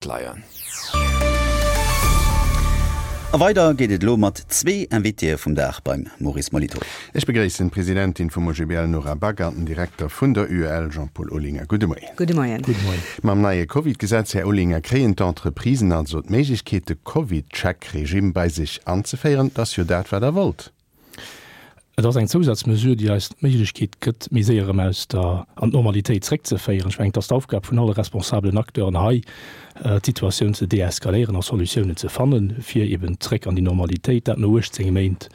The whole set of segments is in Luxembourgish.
Leien. A weider geet et elo mat zwee Invitéë vum Dag beim Maurice Molitor. Ech begréissen d'Presidentin vum OGBL Nora Back an den Direkter vun der UEL Jean-Paul Olinger. Gudde Moien. Gudde Moien. Gudde Moien. Mam neie Covid-Gesetz, Här Olinger, kréien d'Entreprisen also d'Méiglechkeet de Covid-Check-Regime bei sech anzeféieren. Dat ass jo dat wat Der wollt. Et ass eng Zousazmesure, déi eis d'Méiglechkeet gëtt, méi séier erëm aus der an d'Normalitéit zréckzeféieren. Ech mengen, et ass d'Aufgab vun alle responsabelen Acteuren hei, d'Situatioun ze deeskaléieren a Solutiounen ze fannen, fir eben zréck an déi Normalitéit, dat no 18 Méint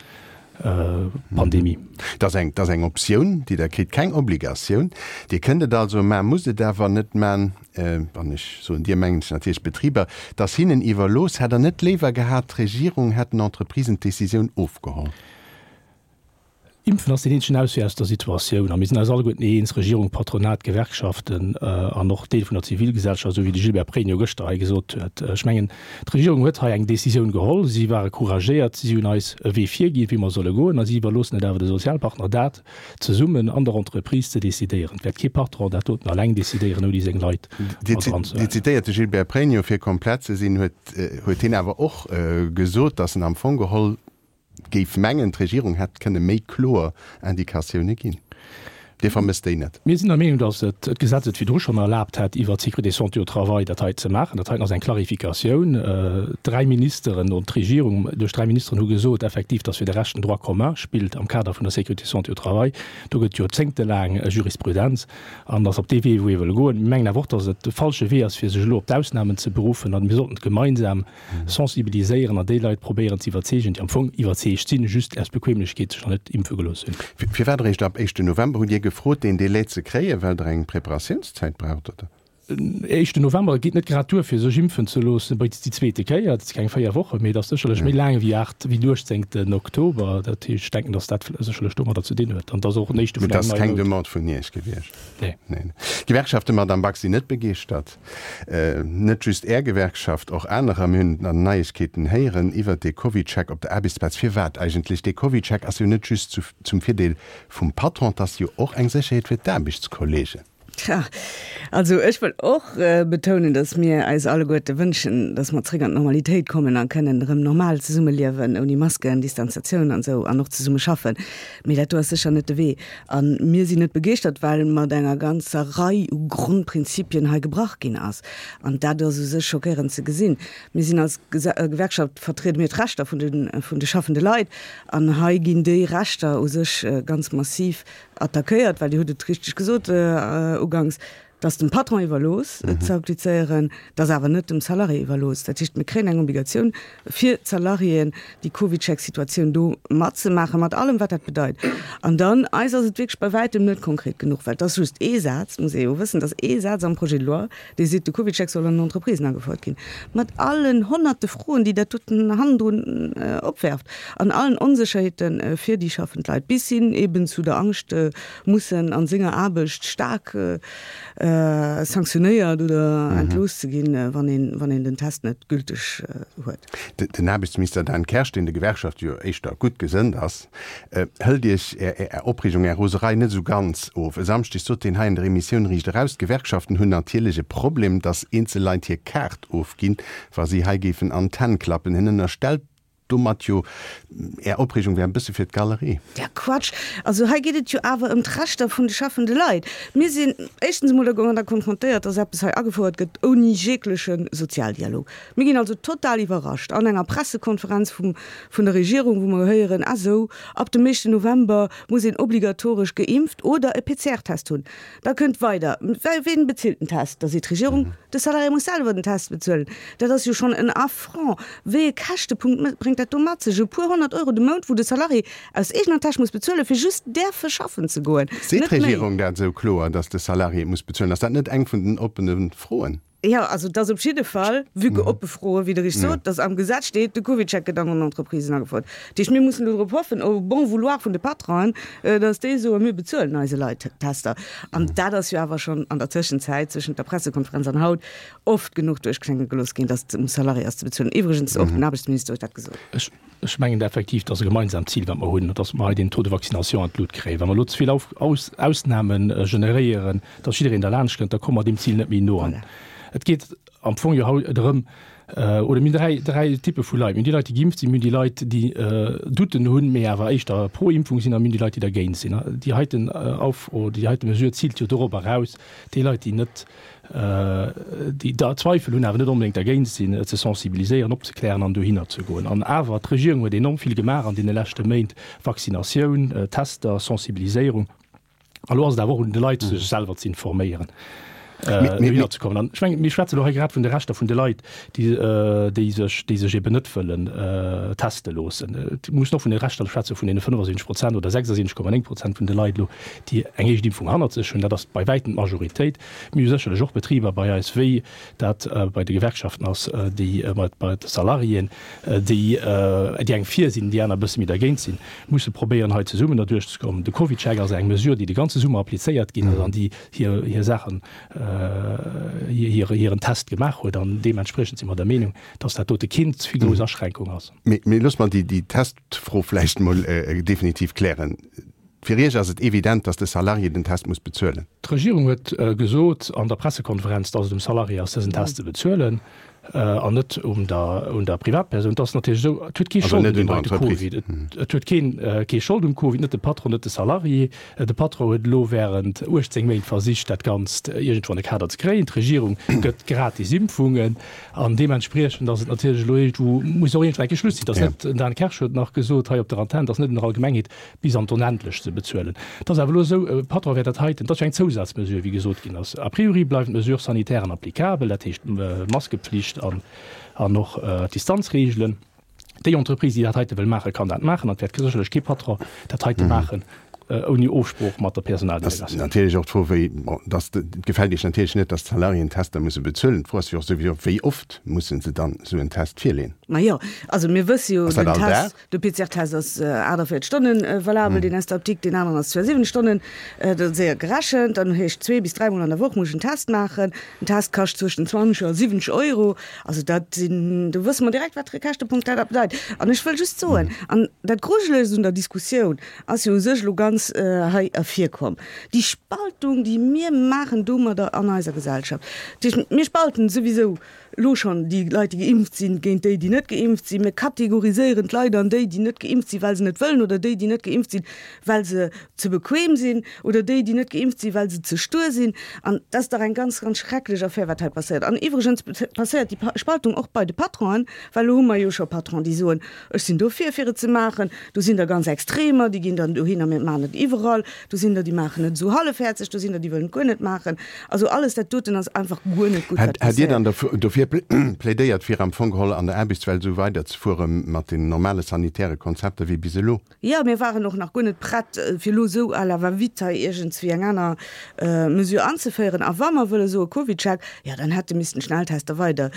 Pandemie. Et ass eng, et ass eng Optioun, déi Der kritt, keng Obligatioun. Dir kënnt et also man, musst et awer net man. Wann ech soen Dir, mengen ech natierlech d'Betriber. Et ass hinnen iwwerlooss. Hätt Der net léiwer gehat, d'Regierung hätt den Entreprisen d'Decisioun ofgeholl? Impfen ass deen eenzegen Auswee aus der Situatioun. A mir sinn eis alleguerten eens, Regierung, Patronat, Gewerkschaften an och Deel vun der Zivilgesellschaft, esou wéi de Gilbert Pregno gëschter hei gesot huet. Ech mengen, d'Regierung huet hei eng Décisioun geholl. Si ware couragéiert, si hunn eis e Wee virginn, wéi mer solle goen, a si iwwerloossen et awer de Sozialpartner, dat zesummen an der Entreprise ze decidéieren. Et wäert kee Patron dat doten alleng decidéieren, ouni seng Leit mat dran ze Dir zitéiert de Gilbert Pregno. Fir komplett ze sinn, huet hien awer och gesot, datt en am Fong geholl Géif mengen, d'Regierung hätt kënne méi kloer Indikatioune ginn. Dir vermësst déi net? Mir sinn der Meenung, datt et d'Gesetz et virdru schonn erlaabt hätt, iwwert d'Sécurité santé au travail dat hei ze maachen. Dat heiten ass eng Klarifikatioun. Dräi Ministeren, oder d'Regierung duerch dräi Ministeren hu gesot effektiv, datt fir de Rescht den Droit commun spillt am Kader vun der Sécurité santé au travail. Do gëtt joerzéngtelaang Jurisprudenz an ass op dee Wee, wou ee wëll goen. Mir mengen awer och, datt et de falsche Wee ass, fir sech elo op d'Ausnamen ze beruffen. A mir sollten et gemeinsam sensibiliséieren an déi Leit probéieren ze iwwerzeegen, déi am Fong iwwerzeegt sinn, just aus Bequemlechkeet sech nach net impfe gelooss hunn. Firwat eréischt ab éischten November? Hutt Dir gefrot, deen Délai ze kréien, well Der eng Preparatiounszäit braucht, oder? Éischten November geet net grad duer, fir sech impfen ze loossen bei déi zweete Kéier. Dat si keng 4 Wochen, mee et ass sécherlech méi laang wéi 8, wéi den 18. Oktober. Dat heescht, ech denken, datt dat sécherlech domadder ze dinn huet an et ass och en éischte vun engem neie Mount. Mee et ass keng Demande vun Iech gewiescht? Nee. D'Gewerkschaften, Madamm Back, sinn net begeeschtert. Net just Är Gewerkschaft, och anerer. Mir hunn an den Neiegkeeten héieren iwwert dee CovidCheck op der Aarbechtsplaz. Firwat eigentlech? Dee CovidCheck ass jo net just zum Virdeel vum Patron, et ass jo och eng Sécherheet fir d'Aarbechtskollegen. Tja, also ech wëll och betounen, datt mir eis alleguerte wënschen, datt mer zréck an d'Normalitéit kommen a kënnen erëm normal zesummeliewen, ouni Masken, Distanziatioun an esou, an och zesumme schaffen. Mee dat do ass sécher net de Wee. A mir sinn net begeeschtert, well mat enger ganzer Rei u Grondprinzipien hei gebrach ginn ass. An dat ass u sech schockéierend ze gesinn. Mir sinn als Gewerkschaft, vertriede mir d'Rechter vun de, vun de schaffende Leit. An hei ginn déi Rechter u sech ganz massiv attackéiert, well Dir hutt et richteg gesot uganks, Et ass dem Patron iwwerlooss, et ze applizéieren, et ass awer net dem Salarié iwwerlooss. Dat heescht, mir kréien eng Obligatioun fir d'Salariéen, déi CovidCheck-Situatioun do matzemaachen, mat allem, wat dat bedeit. An dann, eis ass et wierklech bei wäitem net konkret genuch, well et ass just ee Saz, muss ee jo wëssen, et ass ee Saz am Projet de loi, dee seet, de CovidCheck soll an den Entreprisen agefouert ginn, mat allen honnerte Froen, déi dat doten hannendrun opwerft an allen Onsécherheete fir déi schaffend Leit, bis hin eben zu der Angscht, mussen an senger Aarbecht staark sanktionéiert oder entlooss ze ginn, wann een, wann een den Test net gülteg huet. Den Aarbechtsminister Dan Kersch, deen de Gewerkschafte jo éischter gutt gesënnt ass, hëlt Iech Är Opreegung, Är Roserei net esou ganz of. E Samschdeg sot hien hei an der Emissioun Riicht Eraus, d'Gewerkschaften hunn natierlech e Problem, datt eenzel Leit hir Kaart ofginn, wa si hei géifen an d'Hänn klappen. Hien ënnerstellt Domat jo, Är Opreegung wär e bësse fir d'Galerie. Ja, Quatsch! Also hei geet et jo awer ëm d'Rechter vun de schaffende Leit. Mir sinn éischtens emol domadder konfrontéiert, dass eppes hei agefouert gëtt ouni jegleche Sozialdialog. Mir ginn also total iwwerrascht an enger Pressekonferenz vum, vun der Regierung, wou mer héieren, ah sou, ab dem éischten November muss een obligatoresch geimpft oder e PCR-Test hunn. Da kënnt weider, Wien bezilt den Test? Da seet d'Regierung, de Salarié muss selwer den Test bezuelen. Dat ass jo schonn en Affront. Wéi e Käschtepunkt bréngt dat do mat sech? E puer 100 Euro de Mount, wou de Salarié aus eegener Täsch muss bezuelen, fir just däerfe schaffen ze goen. Seet Net méi. d'Regierung dat esou kloer, datt de Salarié et muss bezuelen? Ass dat net eng vun den oppene Froen? Jo, also et ass op jidde Fall, vue que oppe Froen, wéi Der richteg sot, dass am Gesetz steet, de CovidCheck gëtt an den Entreprisen agefouert. Dat heescht, mir mussen elo drop hoffen, au bon vouloir vun de Patronen, dass déi soen, mir bezuelen eise Leit d'Tester. An dat ass jo awer schonn an der Tëschenzäit, zwëschent der Pressekonferenz an haut, oft genuch duerchklénge gelooss ginn, dass et um Salarié ass ze bezuelen. Iwwregens, och den Aarbechtsminister huet dat gesot. Ech mengen effektiv, et ass e gemeinsamt Zil, wat mer hunn, dass mer hei deen Taux de vaccination an d'Lut kréien. Wa mer elo ze vill Ausname generéieren, dass jiddereen derlaanscht kënnt, da komme mer deem Zil net méi no. An Voilà. Et geet am Fong jo haut drëm, oder mir hunn dräi, dräi Typpe vu Leit. Mir hunn déi Leit, déi geimpft sinn, mir hunn déi Leit, déi Douten hunn, mee awer éischter pro Impfung sinn, a mir hunn déi Leit, déi dergéint sinn. Déi heiten Auf oder déi heite Mesure ziilt jo dorop eraus, déi Leit, déi net, déi da Zweifel hunn, awer net onbedéngt dergéint sinn, ze sensibiliséieren, opzeklären an dohinner ze goen. An awer, d'Regierung huet enorm vill gemaach an deene leschte Méint, Vaccinatioun, Tester, Sensibiliséierung. A lo ass et awer och un de Leit, sech selwer ze informéieren, dohinner ze kommen. An ech mengen, mir schwätzen elo hei grad vun de Rechter vun de Leit, déi, déi sech, déi sech eben net wëllen teste loossen. Et muss och vun de Rechter schwätze vun deene 75 Prozent oder 76,9 Prozent vun de Leit elo, déi eng éischt Impfung hannert sech hunn. Dat ass bei wäitem d'Majoritéit. Mir hu sécherlech och Betriber bei eis, wéi dat bei de Gewerkschaften ass, déi bei de Salariéen, déi déi eng fir sinn, déi aner e bësse méi dergéint sinn, musse probéieren, hei zesummen derduerch ze kommen. De CovidCheck ass eng Mesure, déi de ganze Summer applizéiert ginn ass an déi hir hir Saachen, hir hiren Test gemaach huet. An deementspriechend si mer der Meenung, dass dat dote keen ze vill grouss Aschränkung ass. Mee looss mer déi Testfro vläicht emol definitiv klären. Fir Iech ass et evident, datt de Salarié den Test muss bezuelen. D'Regierung huet gesot an der Pressekonferenz, datt et um Salarié ass, dësen Test ze bezuelen an net um der un der Privatpersoun. Et ass natierlech esou, et huet kee Schold un deem heite Covid. Et huet keen kee Schold um Covid, net de Patron, net de Salarié. De Patron huet elo wärend 18 Méint versicht, dat Ganzt iergendwou an de Kader ze kréien. D'Regierung gëtt gratis Impfungen an deementspriechend ass et natierlech elo iergendwou, muss och iergendwou eng Kéier Schluss sinn. Et ass net, den Dan Kersch huet nach gesot hei op der Antenn, et ass net un der Allgemengheet, bis an d'Onendlecht ze bezuelen. Et ass awer elo esou, e Patron wäert dat heiten, dat ass jo eng Zousazmesure, wéi gesot ginn ass, a priori bleiwen d'Mesures sanitairen applicabel, dat heescht d'Maskepflicht an an och d'Distanzreegelen. Déi Entreprise, déi dat heite wëll maachen, kann dat maachen an et wäert sécherlech kee Patron dat heite maachen ouni Ofsprooch mat der Personaldelegatioun. Ass natierlech och d'Fro, wéi, bon, dass, et gefält Iech natierlech net, dass d'Salariéen Tester musse bezuelen. D'Fro ass jo och souwisou, wéi oft musse se dann esou en Test virleeën? Majo, also mir wësse jo, den Test, De PCR-Test ass 48 Stonne valabel, deen aus der Apdikt, deen aneren ass 72 Stonnen. Dat ass séier gerechent. Dann heescht zwee bis dräimol an der Woch muss ech en Test maachen. En Test kascht zwëschen 20 a 70 Euro. Also dat sinn, do wësse mer direkt, wat fir e Käschtepunkt dat bedeit. An ech wëll just soen, an dat Grujelegst un der Diskussioun ass jo u sech elo ganz hei ervirkomm, déi Spaltung, déi mir maachen domadder an eiser Gesellschaft. Dat heescht, mir spalten souwisou Elo schonn déi Leit, déi geimpft sinn, géint déi, déi net geimpft sinn. Mir kategoriséieren d'Leit an déi, déi net geimpft sinn, well se net wëllen, oder déi, déi net geimpft sinn, well se ze bequem sinn, oder déi, déi net geimpft sinn, well se ze stuer sinn. An dat ass dach eng ganz, ganz schrecklech Affär, wat hei passéiert. An iwwregens passéiert déi Spaltung och bei de Patronen, well elo hu mer jo scho Patronen, déi soen, Ech sinn dofir, fir et ze maachen. Do sinn der ganz Extremer, déi ginn dann dohinner, mir maachen et iwwerall. Do sinn der, déi maachen et esou hallefhäerzeg, do sinn der, déi wëllen et guer net maachen. Also alles dat doten ass einfach guer net gutt, wat Hätt Dir dann passéiert. dofir plädéiert, fir am Fong geholl an der Aarbechtswelt esou weiderzefuere mat den normale sanitäre Konzepter wéi bis elo? Jo, mir waren och nach guer net prett, fir elo esou à la va-vite hei iergendswéi eng aner Mesure anzeféieren. A wa mer wëlle soe CovidCheck, jo, dann hätte missten d'Schnelltester weider,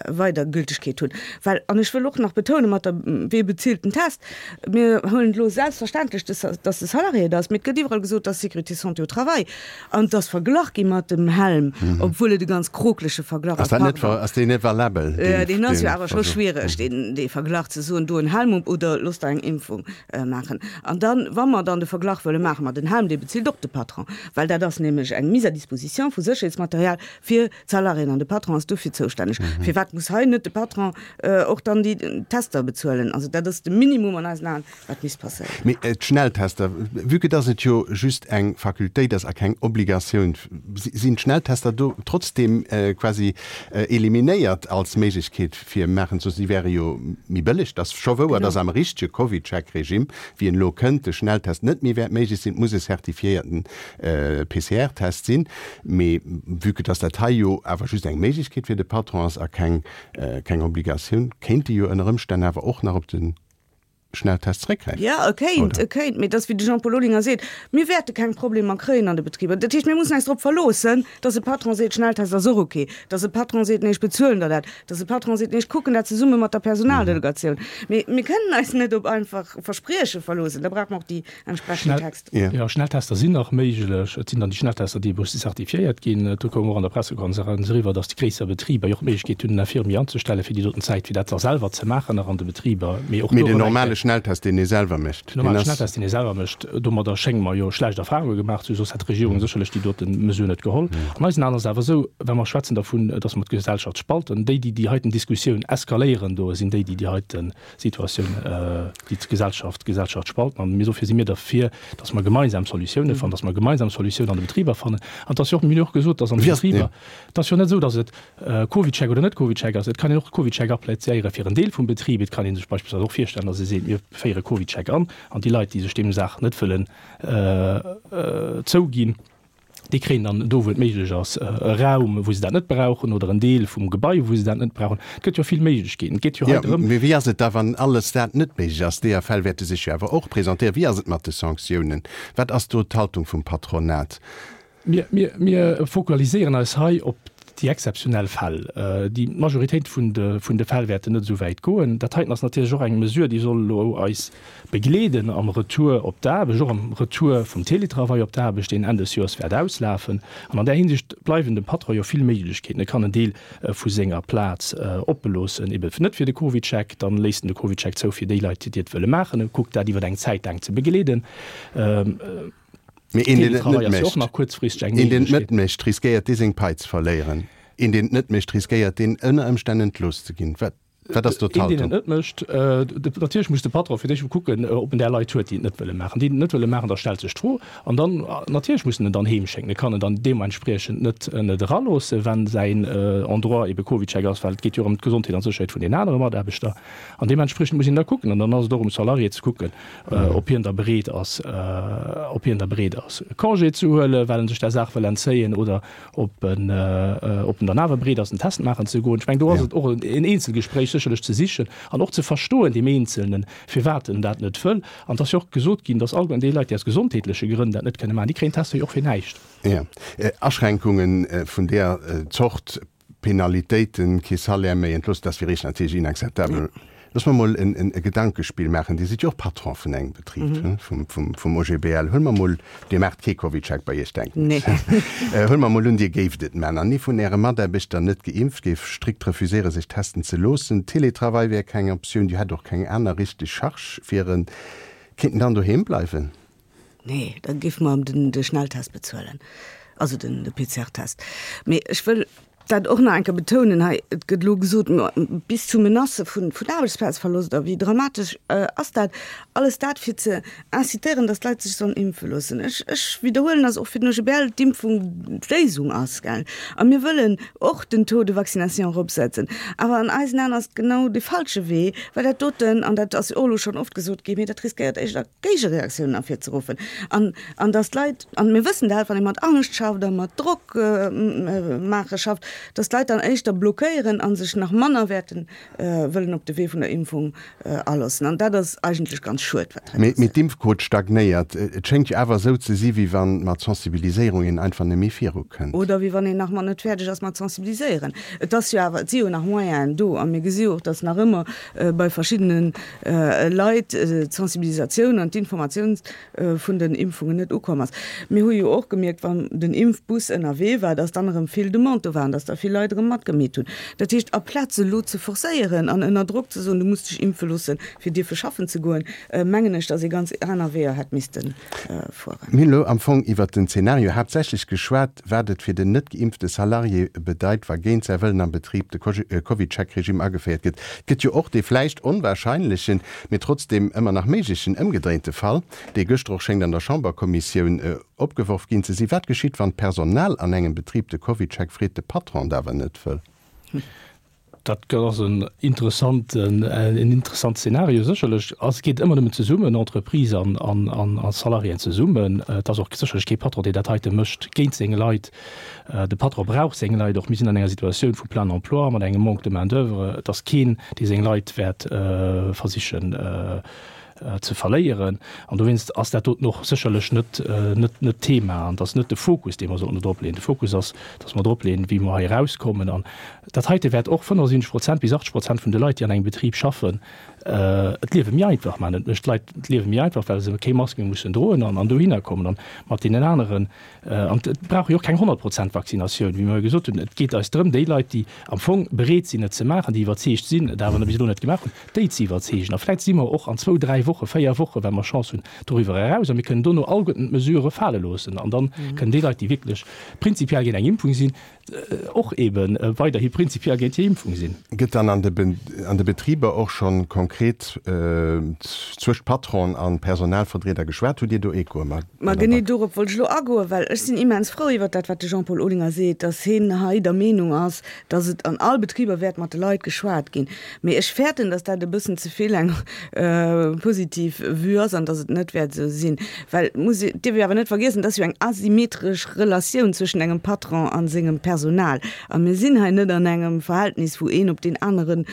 weider Gültegkeet hunn. Well, an ech wëll och nach betounen, mat der, wee bezilt den Test? Mir huelen et elo selbstverständlech, dass de Salarié et ass, mee et gëtt iwwerall gesot, dass Sécurité santé au travail. An et ass verglach gi mat dem Helm, obwuel et e ganz kroklege Verglach ass. Pardon. Ass deen net valabel? Deen ass jo awer scho schwiereg, dee Verglach, ze soen, do en Helm op oder looss der eng Impfung maachen. An dann, wa mer dann de Verglach wëlle maache mat den Helm, dee bezilt och de Patron, well dat ass nämlech eng Mise à disposition vu Sécherheetsmaterial fir d'Salariéen an de Patron ass dofir zoustänneg. Firwat muss hei net de Patron och dann déi Tester bezuelen? Also dat ass de Minimum an eisen Aen. Wat misst passéieren? Mee d'Schnelltester, vue que dass et jo just eng Facultéit ass a keng Obligatioun, sinn d'Schnelltester do trotzdeem quasi eliminéiert als Méiglechkeet fir maachen ze loossen? Si wäre jo méi bëlleg. Et ass scho wouer, dass am richtege CovidCheck-Regime, wéi en elo kënnt, de Schnelltest net méi wäert méiglech sinn. Et muss e certifiéierten PCR-Test sinn. Mee vue que dass dat hei jo awer just eng Méiglechkeet fir de Patron ass a keng Obligatioun, kéint e jo ënner Ëmstänn awer och nach op de Schnelltest zeréckgräifen. Jo, e kéint, e kéint, mee et ass wéi de Jean-Paul Olinger seet, mir wäerte keng Problemer kréien an de Betriber. Dat heescht, mir mussen eis drop verloossen, datt e Patron seet, Schnelltest ass och ok, datt e Patron seet, nee, ech bezuelen der dat, datt e Patron seet, nee, ech kucken dat zesumme mat der Personaldelegatioun. Mee mir kënnen eis net op einfach Versprieche verloossen, da brauche mer och déi entsprechend Texter. Jo, Schnelltester sinn nach méiglech. Et sinn dann déi Schnelltester, déi musse certifiéiert ginn. Do koum och an der Pressekonferenz eriwwer, datt déi gréisser Betriber jo och d'Méiglechkeet hunn, en Infirmier anzestellen, fir déi doten Zäit, fir dat da selwer ze maachen nach an de Betriber. Mee och do Mee den normale. Schnelltest, deen ee selwer mécht. Den normale Schnelltest, deen ee selwer mécht, domadder schénge mer jo schlecht Erfahrunge gemaach ze hunn, soss hätt d'Regierung sécherlech déi dote Mesure net geholl. An eisen Aen ass et awer esou, wa mer schwätzen dervun, datt mer d'Gesellschaft spalten, déi, déi déi heiten Diskussioun eskaléieren do, sinn déi, déi déi heite Situatioun, déi d'Gesellschaft, d'Gesellschaft spalten. An dofir si mir derfir, datt mer gemeinsam Solutiounen fannen, datt mer gemeinsam Solutiounen an de Betriber fannen. An et ass jo och, mir hunn jo och gesot, datt an de Betriber, et ass jo net esou, datt et CovidCheck oder net CovidCheck ass. Et kann een och CovidCheck applizéiere fir en Deel vum Betrib. Et kann ee sech beispillsweis och virstellen, datt ee seet, mir féiere CovidCheck an, an déi Leit, déi sech deem Saach net wëllen zouginn, déi kréien dann do, wou et méiglech ass, e Raum, wou se dat net brauchen, oder en Deel vum Gebai, wou se dat net brauchen. Et gëtt jo vill Méiglechkeeten. Et geet jo hei drëm. Mee wéi ass et da, wann alles dat net méiglech ass? Deeër Fäll wäerte sech jo awer och presentéieren. Wéi ass et mat de Sanktiounen? Wat ass do d'Haltung vum Patronat? Mir fokaliséieren eis hei op déi exzeptionell Fäll. Déi Majoritéit vun de Fäll wäerten net esou wäit goen. Dat heiten ass natierlech och eng Mesure, déi soll elo eis begleeden am Retour op d'Aarbecht, och am Retour vum Télétravail op d'Aarbecht, deen Enn des Joers wäert auslafen. An an där Hinsicht bleiwen dem Patron jo vill Méiglechkeeten. E kann en Deel vu senger Plaz oppe loossen, eben net fir de CovidCheck, dann léisst en de CovidCheck zou fir déi Leit, déi et wëlle maachen. E kuckt dat iwwer eng Zäit laang ze begleeden. Mee een, deen et net mécht, een, deen et net mécht, riskéiert dee seng Pai ze verléieren. Een, deen et net mécht, riskéiert deen ënner Ëmstänn entlooss ze ginn. Wat, wat ass do d'Haltung? Een, deen et net mécht, natierlech muss de Patron fir d'éischt mol kucken, ob en där Leit huet, déi et net wëlle maachen. Déi, déi et net wëlle maachen, da stellt sech d'Fro. An dann, natierlech muss en en dann heemschécken. E kann en dann deementspriechend net, net eraloossen, wann säin Endroit ebe CovidCheck ass, well et geet jo och ëm d'Gesondheet an d'Sécherheet vun den anere Mataarbechter. An deementspriechend muss een da kucken. An dann ass et och um Salarié ze kucken, ob hien da bereet ass, ob hien da bereet ass, Congé ze huelen, well en sech där Saach wëll entzéien, oder ob en, ob en dann awer bereet ass, en Test maachen ze goen. Ech mengen, do ass et och en Eenzelgespréich sécherlech ze sichen an och ze verstoen, deem Eenzelnen, firwat en dat net wëll. An et ass jo och gesot ginn, dass allgemeng déi Leit, déi aus gesondheetleche Grënn dat net kënne maachen, déi kréien d'Tester jo och fir näischt. Jo, Aschränkunge vun där Zort Penalitéiten, kee Salaire méi, entlooss, dat wier eréischt natierlech inakzeptabel. Looss mer mol e Gedankespill maachen. Dir sidd jo och Patron vun engem Betrib, vum OGBL. Huele mer mol, Dir maacht kee CovidCheck bei Iech, denken ech. Huele mer mol un, Dir géift et maachen an ee vun Äre Mataarbechter, net geimpft, géif strikt refuséiere sech testen ze loossen. Teletravail wär keng Optioun, Dir hätt och keng aner richteg Charge fir en. Kéint en dann doheem bleiwen? Nee, da géife mer em de Schnelltest bezuelen, also de PCR-Test. Mee ech wëll dat och nach eng Kéier betounen hei, et gëtt elo gesot, bis zu Menacë vun Aarbechtsplazverlosst a wéi dramatesch ass dat? Alles dat fir ze incitéieren, datt d'Leit sech sollen impfe loossen. Ech, ech widderhuelen, datt och fir den OGBL d'Impfung d'Léisung ass, gell. A mir wëllen och den Taux de vaccination eropsetzen. Awer an eisen Aen ass et genau dee falsche Wee, well dat doten, an dat ass jo och elo schonn oft gesot ginn, mee dat riskéiert éischter Géigereaktiounen ervirzeruffen an an dass d'Leit, an mir wëssen dat, wann ee mat Angscht schafft a mat Drock maache schafft, dass d'Leit dann éischter blockéieren a sech nach manner wäerten wëllen op de Wee vun der Impfung aloossen. An dat ass eigentlech ganz schued, wat hei passéiert. Mee d'Impfquot stagnéiert. Et schéngt jo awer esou ze si wéi wann mat Sensibiliséierung een einfach net méi virukënnt. Oder wéi wann een nach mat net fäerdeg ass mat sensibiliséieren. Et ass jo awer, et si jo nach Moyenen do a mir gesi jo och, dass nach ëmmer bei verschiddene Leit d'Sensibilisatioun an d'Informatioun vun den Impfungen net ukomm ass. Mir hu jo och gemierkt, wann den Impfbus ënnerwee war, dass dann erëm vill Demande do war an dass da vill Leit erëm matgemeet hunn. Dat heescht, aplaz elo ze forcéieren an ënner Drock ze soen, du muss dech impfe loossen, fir dierfe schaffen ze goen, mengen ech, dass ee ganz aner Weeër hätt misste fueren. Mir hunn elo am Fong iwwert den Zeenario haaptsächlech geschwat, wat et fir den net geimpfte Salarié bedeit, wa géint säi Wëllen am Betrib de CovidCheck-Regime ageféiert gëtt. Et gëtt jo och dee vläicht onwahrscheinlechen, mee trotzdeem ëmmer nach méiglechen ëmgedréinte Fall, dee gëschter och schéngt an der Chamberkommissioun opgeworf ginn ze sinn. Wat geschitt, wann d'Personal an engem Betrib de CovidCheck freet, de Patron et awer net wëll? Dat ass en interessanten, en interessant Szenario sécherlech. Ass, geet ëmmer nëmmen zesummen, Entreprise an, an, an, a Salariéen zesummen. Et ass och sécherlech kee Patron, deen dat heite mécht géint seng Leit. De Patron brauch seng Leit och. Mir sinn an enger Situatioun vu plein emploi, mat engem Manque de main d'oeuvre. Et ass keen, dee seng Leit wäert versichen. ze verléieren. An dowéinst ass dat doten och sécherlech net, net, net d'Thema an et ass net de Fokus, dee mer sollten do drop leeën. De Fokus ass, dass mer drop leeën, wéi mer hei erauskommen. An dat heite wäert och 75 Prozent bis 80 Prozent vun de Leit, déi an engem Betrib schaffen, et Liewe méi einfach maachen. Et mécht d'Leit d'Liewe méi einfach, well se keng Mask méi mussen droen an an dohinner kommen. An mat deenen aneren, an et brauch jo och keng 100 Prozent Vaccinatioun, wéi mer jo gesot hunn. Et geet eis drëm, déi Leit, déi am Fong bereet sinn, et ze maachen, déi iwwerzeegt sinn, et awer bis elo net gemaach hunn, déi ze iwwerzeegen. A vläicht si mer och an zwou, dräi Wochen, véier Wochen, well mer Chance hunn, doriwwer eraus a mir kënnen dono alleguerten d'Mesurë fale loossen. An dann kënnen déi Leit, déi wierklech prinzipiell géint eng Impfung sinn, och eebe weiderhi prinzipiell géint déi Impfung sinn. Gëtt dann an de Betriber och scho konkret zwëscht Patron a Personalvertrieder geschwat? Hutt Dir do Echoe, Madame Back? Ma genee dorop wollt ech elo agoen, well ech sinn immens frou iwwert dat, wat de Jean-Paul Olinger seet, dass hien hei der Meenung ass, dass et an all Betriber wäert mat de Leit geschwat ginn. Mee ech fäerten, dass dat e bëssen ze vill eng positiv Vue ass an dass et net wäert esou sinn. Well et muss, et dierf ee awer net vergiessen, et ass jo eng asymmetresch Relatioun zwëschen engem Patron a sengem Personal. A mir sinn hei net an engem Verhältnis, wou een op deen aneren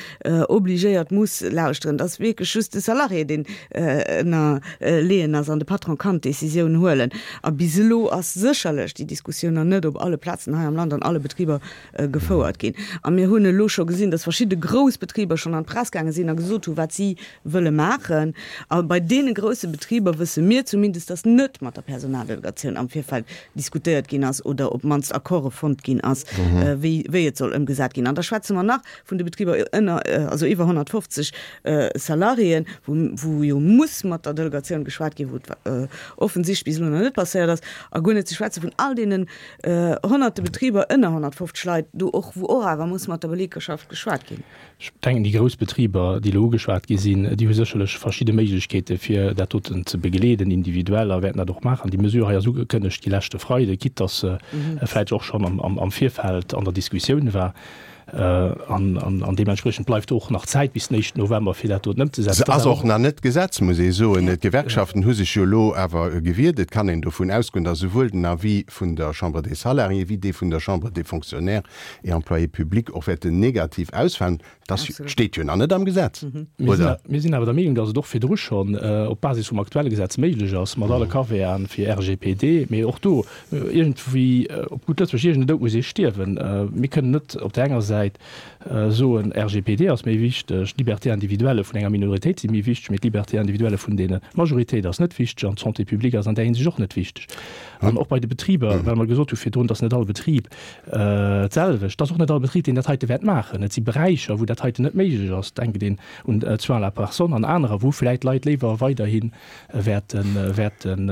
obligéiert muss lauschteren. Et ass wierklech just de Salarié, deen ënnerleeën ass an de Patron kann d'Décisioun huelen. A bis elo ass sécherlech déi Diskussioun nach net op alle Plazen hei am Land, an alle Betriber gefouert ginn. A mir hunn elo scho gesinn, dass verschidde grouss Betriber schonn an d'Press gaange sinn a gesot hu wat si wëlle maachen. A bei deene grousse Betriber wësse mir zumindest, dass net mat der Personaldelegatioun am Virfeld diskutéiert ginn ass oder op d'mannst Accorde fonnt ginn ass, wéi wéi et soll ëmgesat ginn. An da schwätze mer nach vun de Betriber ënner, also iwwer 150 Salariéen, wou wou jo muss mat der Delegatioun geschwat ginn, wou et offensichtlech bis elo nach net passéiert ass, a guer net ze schwätze vun all deenen Honnerte Betriber ënner 150 Leit, do och, wou och awer muss mat der Belegschaft geschwat ginn. Ech denken, déi grouss Betriber, déi elo ugeschwat gi sinn, déi hu sécherlech verschidde Méiglechkeete fir dat doten ze begleeden individuell a wäerten dat och maachen. Déi Mesure hei ass ugekënnegt gi leschte Freide, quitte dass se vläicht och schonn am Virfeld an der Diskussioun war. An deementspriechend bleift och nach Zäit bis den éischten November, fir dat doten ëmzesetzen. Se ass och nach net Gesetz, muss ee soen. D'Gewerkschaften hu sech jo elo awer gewiert. Et kann een dovun ausgoen, datt esouwuel den Avis vun der Chambre des Salariés wéi dee vun der Chambre des Fonctionnaires et Employés publics och wäerten negativ ausfalen. Dat steet jo nach net am Gesetz, oder? Mir sinn awer der Meenung, datt et och virdru schonn op Basis vum aktuelle Gesetz méiglech ass, mat alle Caveaten fir RGPD, mee och do iergendwéi, op gutt Lëtzebuergesch, iergend en Doud muss ee stierwen. Mir kënnen net op där enger Säit soen, RGPD ass méi wichteg, d'Liberté individuelle vun enger Minoritéit si méi wichteg, mee d'Liberté individuelle vun deene Majoritéit ass net wichteg an d'Santé publique ass an där Hinsicht och net wichteg. An och bei de Betriber, well mer gesot hu virdrun, datt net all Betrib d'selwecht, et ass och net all Betrib, deen dat heite wäert maachen. Et si Beräicher, wou dat heiten net méiglech ass, denkt een un d'Soins à la personne an anerer, wou vläicht d'Leit léiwer weiderhi wäerten, wäerten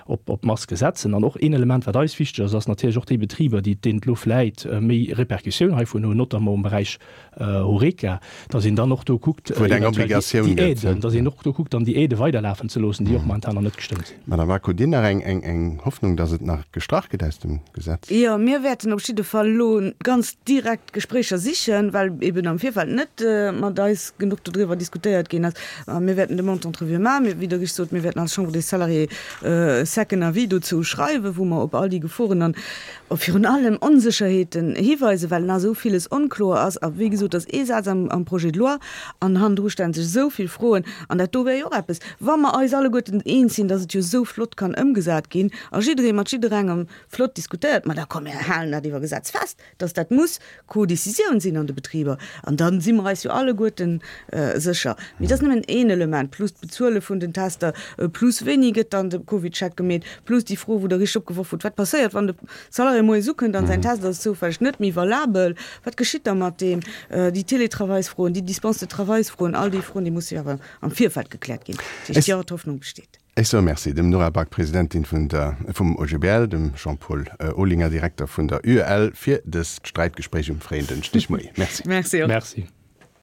op, op Maske setzen. An och een Element, wat eis wichteg ass, ass natierlech och déi Betriber, déi, deenen et elo vläit méi Répercussioun heivun hunn, notamment um Beräich Horeca, dass een dann och do kuckt, Wou et eng eventuell déi, Obligatioun déi gëtt. Aiden, dass een och do kuckt, dann déi Aidë weiderlafen ze loossen, déi och momentan nach net gestëmmt sinn. Madame Back, hutt Dir nach eng, eng, eng Hoffnung, dass et nach gestrach gëtt aus dem Gesetz? Jo, mir wäerten op jidde Fall elo ganz direkt Gespréicher sichen, well eben am Virfeld net mat eis genuch dodriwwer diskutéiert ginn ass. A mir wäerten de Monte-entrevue maachen. Mir, wéi Der richteg sot, mir wäerten als Chambre des Salariés e second Avis dozou schreiwen, wou mer op all déi Geforen an virun allem Onsécherheeten hiweisen, well nach esou villes onkloer ass. A wéi gesot, et ass ee Saz am Projet de loi an hannendru stelle sech esou vill Froen. An dat do wär jo och eppes, wa mer eis alleguerten eens sinn, dass et jo esou flott kann ëmgesat ginn a jidderee mat jidderengem flott diskutéiert, ma da komm mir halen dat iwwer Gesetz fest. dass dat muss Co-Décisioun sinn an de Betriber, an da si mer eis jo alleguerten sécher. Mee dat ass nëmmen een Element, plus d'Bezuele vun den Tester, plus wéini gëtt dann de CovidCheck gemeet, plus déi Fro, wou Der richteg opgeworf hutt, Wat passéiert, wann de Salarié moies ukënnt an säin Test ass zoufälleg net méi valabel? Wat geschitt da mat deem? Déi Télétravailsfroen, déi Dispense de travailsfroen, all déi Froen, déi musse jo awer am Virfeld gekläert ginn. Dat heescht, jo, d'Hoffnung besteet. Ech soe Merci dem Nora Back, Presidentin vun der, vum OGBL, dem Jean-Paul Olinger, Direkter vun der UEL, fir dëst Sträitgespréich um fréien Dënschdegmoie. Merci. Merci och. Merci.